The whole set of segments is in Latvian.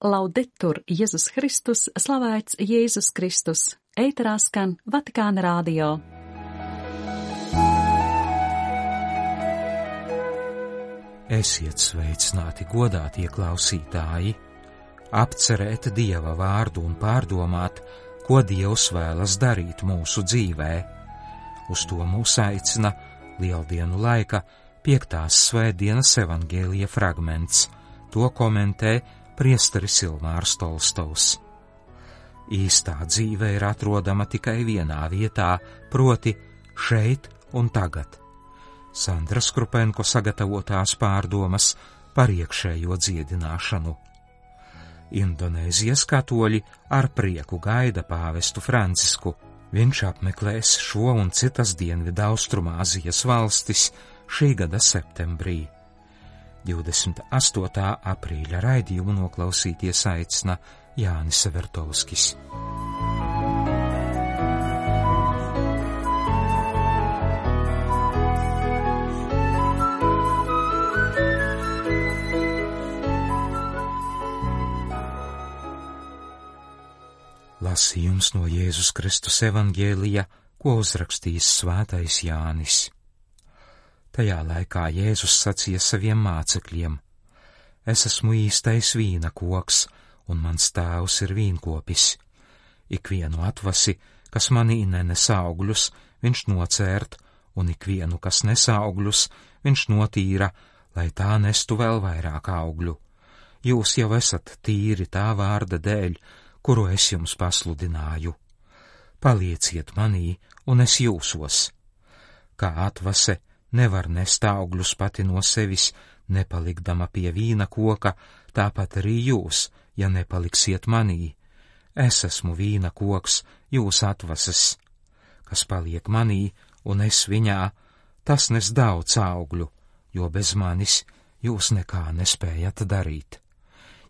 Laudetur Jēzus Kristus, slavēts Jēzus Kristus, ēterā skan Vatikāna radio. Esiet sveicināti, godātie klausītāji, apcerēt Dieva vārdu un pārdomāt, ko Dievs vēlas darīt mūsu dzīvē. Uz to mūs aicina Lieldienu laika 5. svētdienas evaņģēlija fragments. To komentē priesteris Ilmārs Tolstovs. Īstā dzīve ir atrodama tikai vienā vietā, proti šeit un tagad. Sandras Krupenko sagatavotās pārdomas par iekšējo dziedināšanu. Indonēzijas katoļi ar prieku gaida pāvestu Francisku. Viņš apmeklēs šo un citas Dienvidu Austrumāzijas valstis šī gada septembrī. 28. aprīļa raidījumu noklausīties aicina Jānis Severtovskis. Lasījums no Jēzus Kristus evaņģēlija, ko uzrakstījis svētais Jānis. Tajā laikā Jēzus sacīja saviem mācekļiem: Es esmu īstais vīna koks, un mans tēvs ir vīnkopis. Ikvienu atvasi, kas manī nenes augļus, viņš nocērt, un ikvienu, kas nes augļus, viņš notīra, lai tā nestu vēl vairāk augļu. Jūs jau esat tīri tā vārda dēļ, kuru es jums pasludināju. Palieciet manī, un es jūsos. Kā atvase nevar nest augļus pati no sevis, nepalikdama pie vīna koka, tāpat arī jūs, ja nepaliksiet manī. Es esmu vīna koks, jūs atvases. Kas paliek manī, un es viņā, tas nes daudz augļu, jo bez manis jūs nekā nespējat darīt.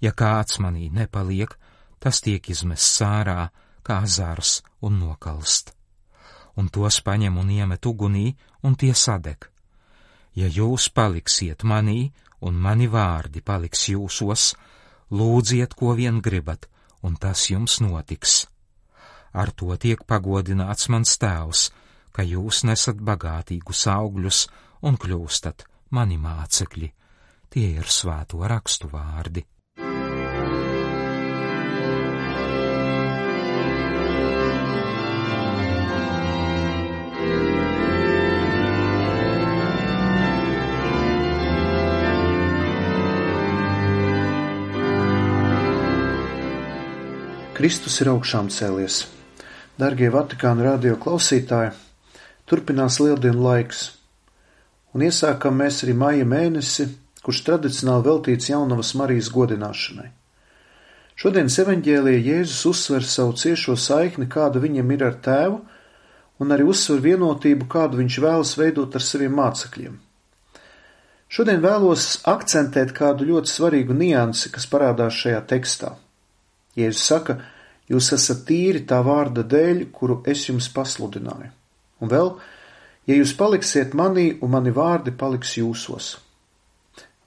Ja kāds manī nepaliek, tas tiek izmests ārā, kā zars un nokalst. Un tos paņem un iemet ugunī, un tie sadeg. Ja jūs paliksiet manī, un mani vārdi paliks jūsos, lūdziet, ko vien gribat, un tas jums notiks. Ar to tiek pagodināts mans tēvs, ka jūs nesat bagātīgus augļus un kļūstat mani mācekļi. Tie ir svēto rakstu vārdi. Kristus ir augšām cēlies. Dargie Vatikāna radio klausītāji, turpinās Lieldienu laiks, un iesākam mēs arī maija mēnesi, kurš tradicionāli veltīts Jaunavas Marijas godināšanai. Šodienas evaņģēlijā Jēzus uzsver savu ciešo saikni, kāda viņam ir ar tēvu, un arī uzsver vienotību, kādu viņš vēlas veidot ar saviem mācekļiem. Šodien vēlos akcentēt kādu ļoti svarīgu niansi, kas parādās šajā tekstā. Jēzus saka, jūs esat tīri tā vārda dēļ, kuru es jums pasludināju. Un vēl, ja jūs paliksiet manī un mani vārdi paliks jūsos.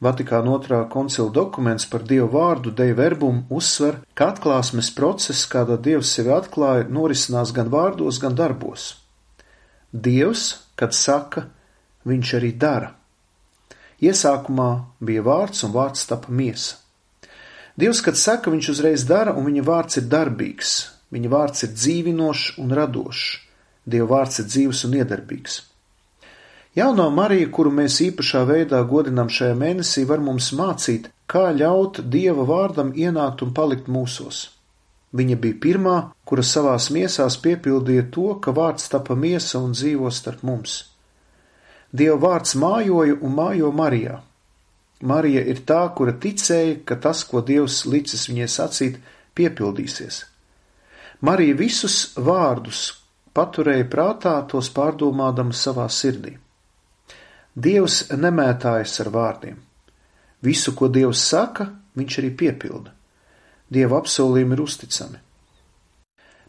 Vatikāna 2. koncila dokuments par Dievu vārdu Dei Verbum uzsver, ka atklāsmes process, kādā Dievs sevi atklāja, norisinās gan vārdos, gan darbos. Dievs, kad saka, viņš arī dara. Iesākumā bija vārds, un vārds tapa miesa. Dievs, kad saka, viņš uzreiz dara, un viņa vārds ir darbīgs. Viņa vārds ir dzīvinošs un radošs. Dieva vārds ir dzīvs un iedarbīgs. Jaunā Marija, kuru mēs īpašā veidā godinām šajā mēnesī, var mums mācīt, kā ļaut Dieva vārdam ienākt un palikt mūsos. Viņa bija pirmā, kura savās miesās piepildīja to, ka vārds tapa miesa un dzīvo starp mums. Dieva vārds mājoja un mājo Marijā. Marija ir tā, kura ticēja, ka tas, ko Dievs licis viņai sacīt, piepildīsies. Marija visus vārdus paturēja prātā, tos pārdomādama savā sirdī. Dievs nemētājas ar vārdiem. Visu, ko Dievs saka, viņš arī piepilda. Dieva apsolījumi ir uzticami.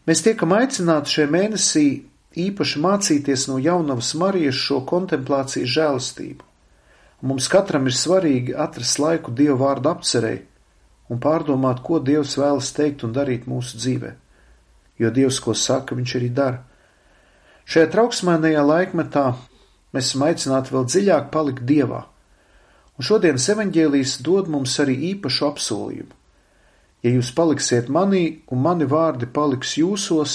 Mēs tiekam aicināti šajā mēnesī īpaši mācīties no Jaunavas Marijas šo kontemplācijas žēlastību. Mums katram ir svarīgi atrast laiku Dieva vārdu apcerei un pārdomāt, ko Dievs vēlas teikt un darīt mūsu dzīvē. Jo Dievs, ko saka, viņš arī dara. Šajā trauksmēnajā laikmetā mēs esam aicināti vēl dziļāk palikt Dievā. Un šodienas evaņģēlijs dod mums arī īpašu apsolījumu. Ja jūs paliksiet manī un mani vārdi paliks jūsos,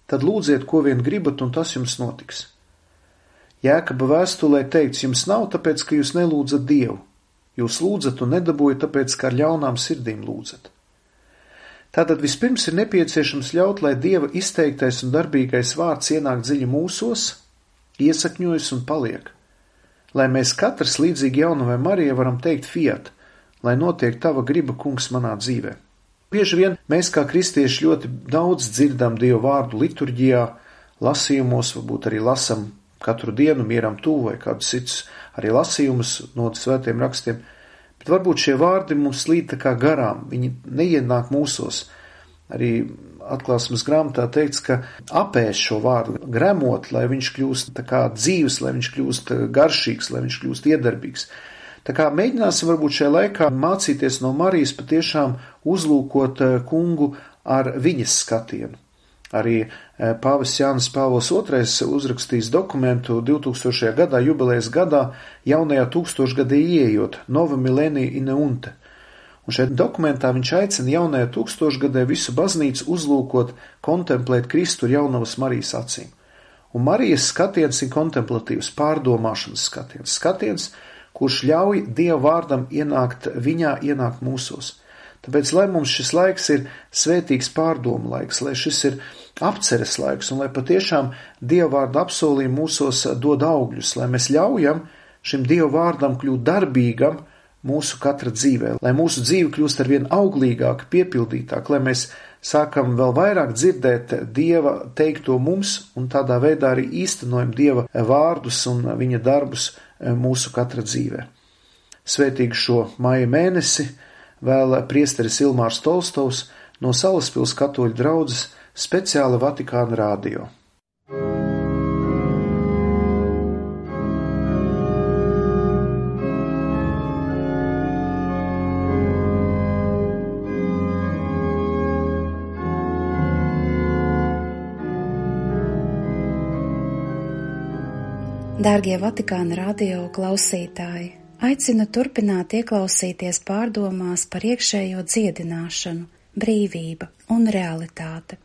tad lūdziet, ko vien gribat, un tas jums notiks. Jēkaba vēstulē teikts, jums nav tāpēc, ka jūs nelūdzat Dievu. Jūs lūdzat un nedabūjat tāpēc, ka ar ļaunām sirdīm lūdzat. Tātad vispirms ir nepieciešams ļaut, lai Dieva izteiktais un darbīgais vārds ienāk dziļi mūsos, iesakņojas un paliek. Lai mēs katrs līdzīgi jaunavai Marijai varam teikt fiat, lai notiek tava griba, kungs, manā dzīvē. Bieži vien mēs kā kristieši ļoti daudz dzirdam Dievu vārdu liturģijā, lasījumos, varbūt arī lasam katru dienu mieram tuvu vai kādus cits arī lasījumus no svētiem rakstiem, bet varbūt šie vārdi mums līd tā kā garām, viņi neienāk mūsos. Arī atklāsmes grāmatā teikts, ka apēst šo vārdu, gremot, lai viņš kļūst tā kā dzīves, lai viņš kļūst garšīgs, lai viņš kļūst iedarbīgs. Tā kā mēģināsim varbūt šajā laikā mācīties no Marijas patiešām uzlūkot kungu ar viņas skatienu. Arī pāvests Jānis Pāvils II uzrakstījis dokumentu 2000. gadā, jubilejas gadā, jaunajā tūkstošgadī ieejot, Nova Millennia Ineunte. Un šeit dokumentā viņš aicina jaunajā tūkstošgadē visu baznīcu uzlūkot, kontemplēt Kristu ar jaunavas Marijas acīm. Un Marijas skatiens ir kontemplatīvs, pārdomāšanas skatiens. Skatiens, kurš ļauj Dieva vārdam ienākt viņā, ienākt mūsos. Tāpēc, lai mums šis laiks ir svētīgs pārdomu laiks, lai šis ir apceres laiks, un lai patiešām Dieva vārda apsolījumi mūsos dod augļus, lai mēs ļaujam šim Dieva vārdam kļūt darbīgam mūsu katra dzīvē, lai mūsu dzīve kļūst arvien auglīgāka, piepildītāka, lai mēs sākam vēl vairāk dzirdēt Dieva teikto mums un tādā veidā arī īstenojam Dieva vārdus un viņa darbus mūsu katra dzīvē. Svētīgu šo māja mēnesi vēl priesteris Ilmārs Tolstovs no Salaspils katoļu draudzes speciāli Vatikāna radio. Dārgie Vatikāna radio klausītāji, aicinu turpināt ieklausīties pārdomās par iekšējo dziedināšanu, brīvība un realitāte.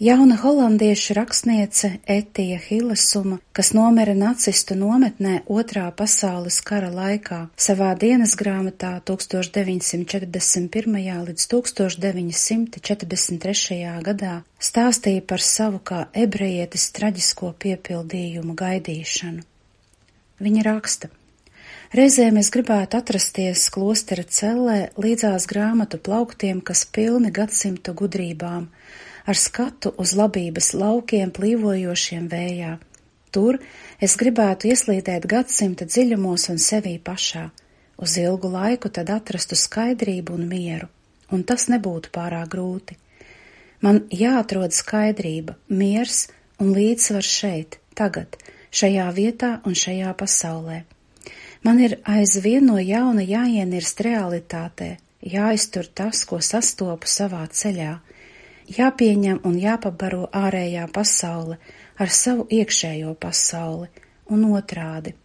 Jauna holandiešu rakstniece Etija Hillesuma, kas nomira nacistu nometnē Otrā pasaules kara laikā, savā dienas grāmatā 1941. līdz 1943. gadā stāstīja par savu kā ebrejietes traģisko piepildījumu gaidīšanu. Viņa raksta: reizēm es gribētu atrasties klostera cellē līdzās grāmatu plauktiem, kas pilni gadsimtu gudrībām, ar skatu uz labības laukiem plīvojošiem vējā. Tur es gribētu ieslīdēt gadsimta dziļumos un sevī pašā, uz ilgu laiku tad atrastu skaidrību un mieru, un tas nebūtu pārāk grūti. Man jāatrod skaidrība, miers un līdzsvars šeit, tagad, šajā vietā un šajā pasaulē. Man ir aizvien no jauna jāienirst realitātē, jāiztur tas, ko sastopu savā ceļā, jāpieņem un jāpabaro ārējā pasaule ar savu iekšējo pasauli un otrādi.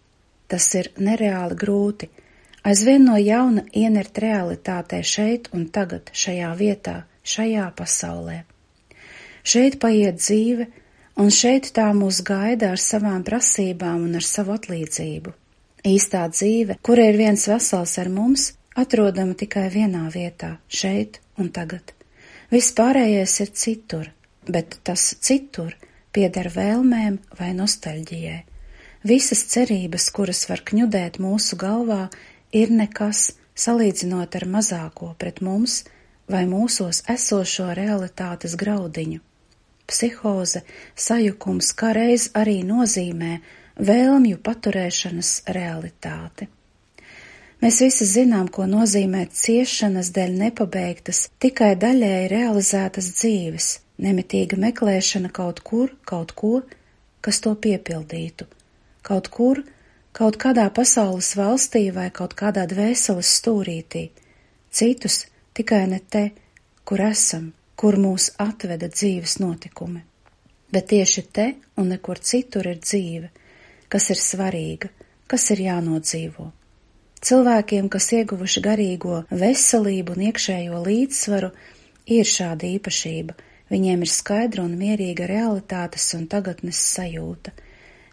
Tas ir nereāli grūti, aizvien no jauna ienert realitātē šeit un tagad, šajā vietā, šajā pasaulē. Šeit paiet dzīve, un šeit tā mūs gaida ar savām prasībām un ar savu atlīdzību. Īstā dzīve, kura ir viens vesels ar mums, atrodama tikai vienā vietā, šeit un tagad. Viss pārējais ir citur, bet tas citur pieder vēlmēm vai nostalģijai. Visas cerības, kuras var kņudēt mūsu galvā, ir nekas, salīdzinot ar mazāko pret mums vai mūsos esošo realitātes graudiņu. Psihoze, sajukums kā reiz arī nozīmē vēlmju paturēšanas realitāti. Mēs visi zinām, ko nozīmē ciešanas dēļ nepabeigtas, tikai daļēji realizētas dzīves, nemitīga meklēšana kaut kur, kaut ko, kas to piepildītu, kaut kur, kaut kādā pasaules valstī vai kaut kādā dvēseles stūrītī, citus tikai ne te, kur esam, kur mūs atveda dzīves notikumi. Bet tieši te un nekur citur ir dzīve, kas ir svarīga, kas ir jānodzīvo. Cilvēkiem, kas ieguvuši garīgo veselību un iekšējo līdzsvaru, ir šāda īpašība. Viņiem ir skaidra un mierīga realitātes un tagadnes sajūta.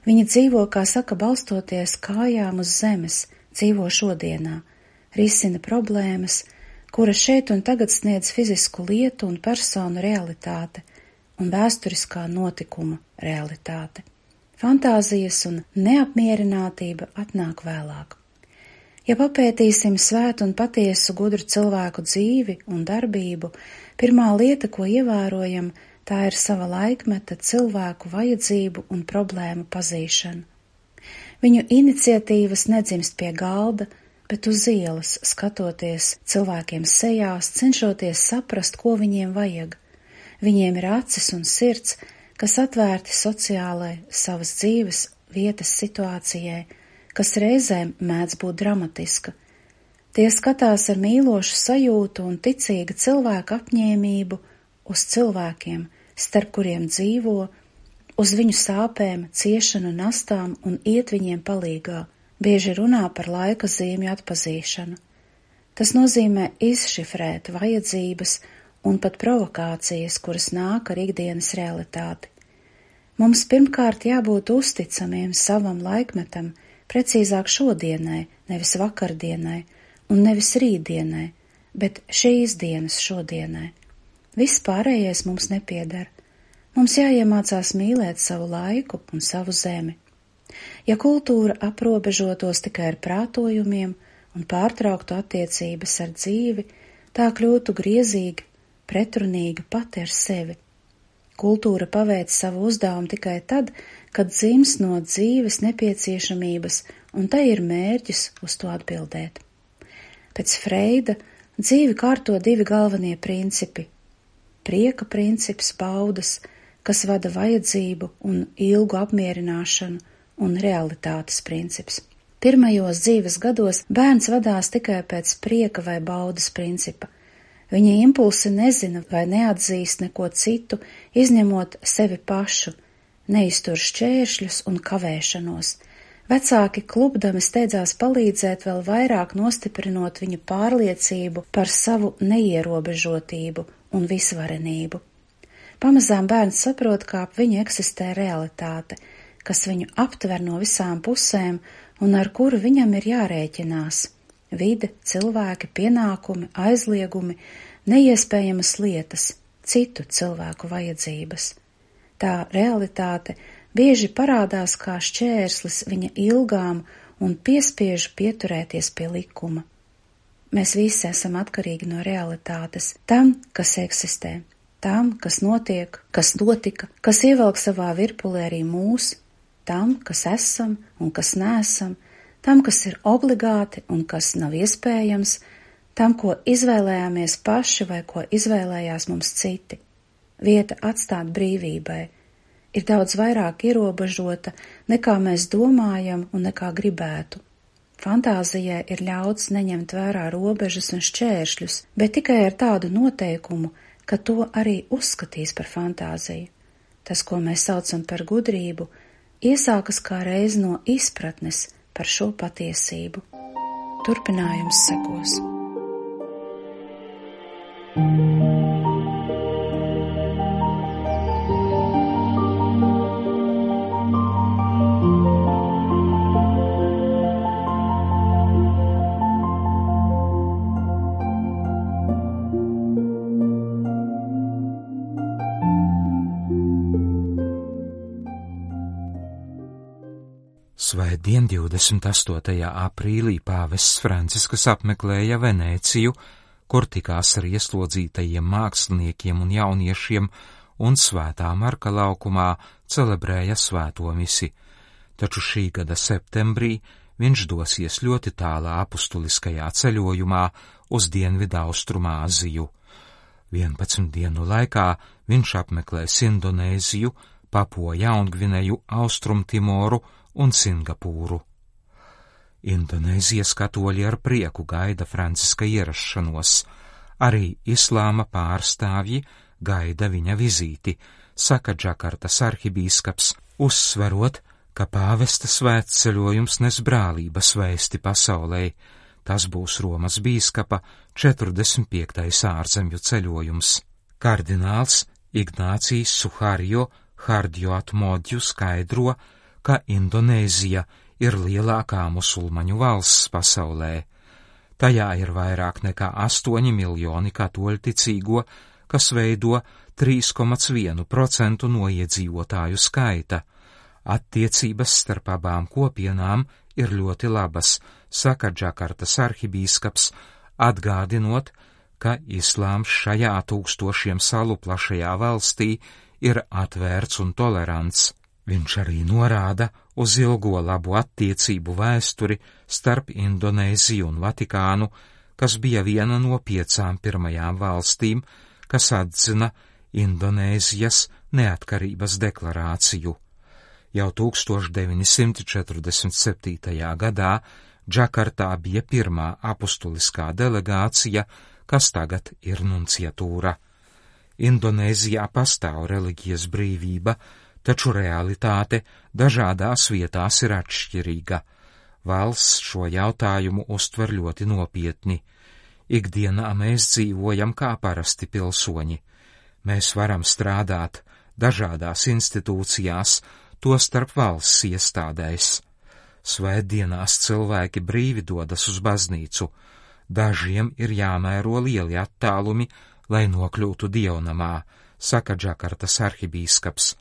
Viņi dzīvo, kā saka, balstoties kājām uz zemes, dzīvo šodienā, risina problēmas, kuras šeit un tagad sniedz fizisku lietu un personu realitāte un vēsturiskā notikuma realitāte. Fantāzijas un neapmierinātība atnāk vēlāk. Ja papētīsim svētu un patiesu gudru cilvēku dzīvi un darbību, pirmā lieta, ko ievērojam, tā ir sava laikmeta cilvēku vajadzību un problēmu pazīšana. Viņu iniciatīvas nedzimst pie galda, bet uz ielas, skatoties cilvēkiem sejās, cenšoties saprast, ko viņiem vajag. Viņiem ir acis un sirds, kas atvērti sociālai savas dzīves vietas situācijai, kas reizēm mēdz būt dramatiska. Tie skatās ar mīlošu sajūtu un ticīga cilvēka apņēmību uz cilvēkiem, starp kuriem dzīvo, uz viņu sāpēm, ciešanu, nastām un iet viņiem palīgā, bieži runā par laika zīmju atpazīšanu. Tas nozīmē izšifrēt vajadzības un pat provokācijas, kuras nāk ar ikdienas realitāti. Mums pirmkārt jābūt uzticamiem savam laikmetam, precīzāk šodienai, nevis vakardienai un nevis rītdienai, bet šīs dienas šodienai. Viss pārējais mums nepieder. Mums jāiemācās mīlēt savu laiku un savu zemi. Ja kultūra aprobežotos tikai ar prātojumiem un pārtrauktu attiecības ar dzīvi, tā kļūtu griezīga, pretrunīga pati ar sevi. Kultūra paveic savu uzdevumu tikai tad, kad dzims no dzīves nepieciešamības, un tai ir mērķis uz to atbildēt. Pēc Freida dzīvi kārto divi galvenie principi – prieka princips baudas, kas vada vajadzību un ilgu apmierināšanu, un realitātes princips. Pirmajos dzīves gados bērns vadās tikai pēc prieka vai baudas principa. Viņa impulsi nezina vai neatzīst neko citu, izņemot sevi pašu, neiztur šķēršļus un kavēšanos. Vecāki klupdami steidzās palīdzēt, vēl vairāk nostiprinot viņu pārliecību par savu neierobežotību un visvarenību. Pamazām bērns saprot, kā ap viņu eksistē realitāte, kas viņu aptver no visām pusēm un ar kuru viņam ir jārēķinās. Vide, cilvēki, pienākumi, aizliegumi, neiespējamas lietas, citu cilvēku vajadzības. Tā realitāte bieži parādās kā šķērslis viņa ilgām un piespiež pieturēties pie likuma. Mēs visi esam atkarīgi no realitātes, tam, kas eksistē, tam, kas notiek, kas notika, kas ievelk savā virpulē arī mūs, tam, kas esam un kas neesam, tam, kas ir obligāti un kas nav iespējams, tam, ko izvēlējāmies paši vai ko izvēlējās mums citi. Vieta atstāt brīvībai ir daudz vairāk ierobežota, nekā mēs domājam un nekā gribētu. Fantāzijai ir ļauts neņemt vērā robežas un šķēršļus, bet tikai ar tādu noteikumu, ka to arī uzskatīs par fantāziju. Tas, ko mēs saucam par gudrību, iesākas kā reiz no izpratnes par šo patiesību. Turpinājums sekos. Svētdien 28. aprīlī pāvests Francisks apmeklēja Venēciju, kur tikās ar ieslodzītajiem māksliniekiem un jauniešiem un Svētā Marka laukumā celebrēja svēto misi, taču šī gada septembrī viņš dosies ļoti tālā apustuliskajā ceļojumā uz Dienvidaustrumāziju. 11 dienu laikā viņš apmeklēs Indonēziju, Papua Jaungvineju, Austrumtimoru un Singapūru. Indonēzijas katoļi ar prieku gaida Franciska ierašanos, arī islāma pārstāvji gaida viņa vizīti, saka Džakartas arhibīskaps, uzsverot, ka pāvesta svētceļojums nes brālības vēsti pasaulē. Tas būs Romas bīskapa 45. ārzemju ceļojums. Kardināls Ignācijs Suharjo Hardjoatmodju skaidro, ka Indonēzija ir lielākā musulmaņu valsts pasaulē. Tajā ir vairāk nekā 8 miljoni katoļu ticīgo, kas veido 3,1% no iedzīvotāju skaita. Attiecības starp abām kopienām ir ļoti labas, saka Džakartas arhibīskaps, atgādinot, ka islāms šajā tūkstošiem salu plašajā valstī ir atvērts un tolerants. Viņš arī norāda uz ilgo labu attiecību vēsturi starp Indonēziju un Vatikānu, kas bija viena no 5 pirmajām valstīm, kas atzina Indonēzijas neatkarības deklarāciju. Jau 1947. gadā Džakartā bija pirmā apustuliskā delegācija, kas tagad ir nunciatūra. Indonēzijā pastāv reliģijas brīvība, taču realitāte dažādās vietās ir atšķirīga. Valsts šo jautājumu uztver ļoti nopietni. Ikdienā mēs dzīvojam kā parasti pilsoņi. Mēs varam strādāt dažādās institūcijās, tostarp valsts iestādēs. Svētdienās cilvēki brīvi dodas uz baznīcu. Dažiem ir jāmēro lieli attālumi, lai nokļūtu dievnamā, saka Džakartas arhibīskaps.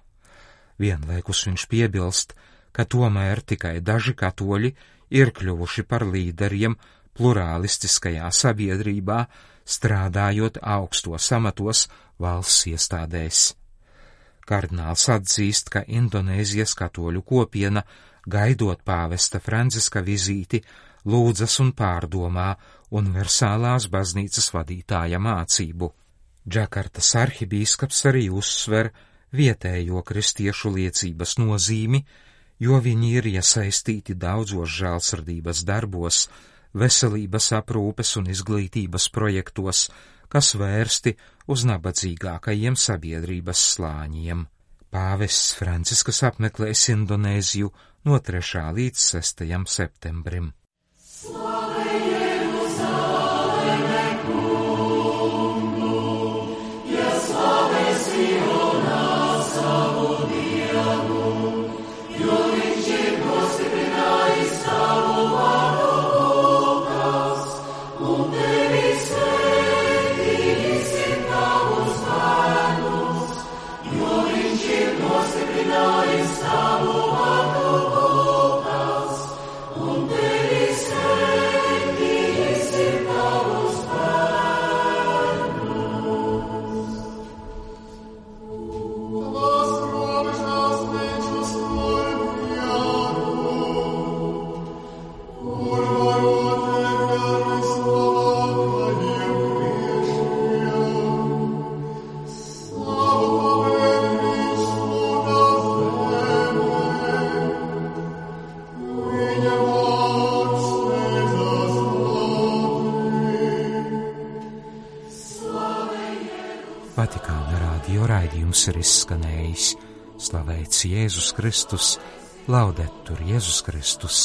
Vienlaikus viņš piebilst, ka tomēr tikai daži katoļi ir kļuvuši par līderiem plurālistiskajā sabiedrībā, strādājot augstos amatos valsts iestādēs. Kardināls atzīst, ka Indonēzijas katoļu kopiena, gaidot pāvesta Franciska vizīti, lūdzas un pārdomā universālās baznīcas vadītāja mācību. Džakartas arhibīskaps arī uzsver vietējo kristiešu liecības nozīmi, jo viņi ir iesaistīti daudzos žēlsirdības darbos, veselības aprūpes un izglītības projektos, kas vērsti uz nabadzīgākajiem sabiedrības slāņiem. Pāvests Francisks apmeklēs Indonēziju no 3. līdz 6. septembrim. Vatikāna radio raidījums ir izskanējis. Slavēts Jēzus Kristus, laudetur Jēzus Kristus.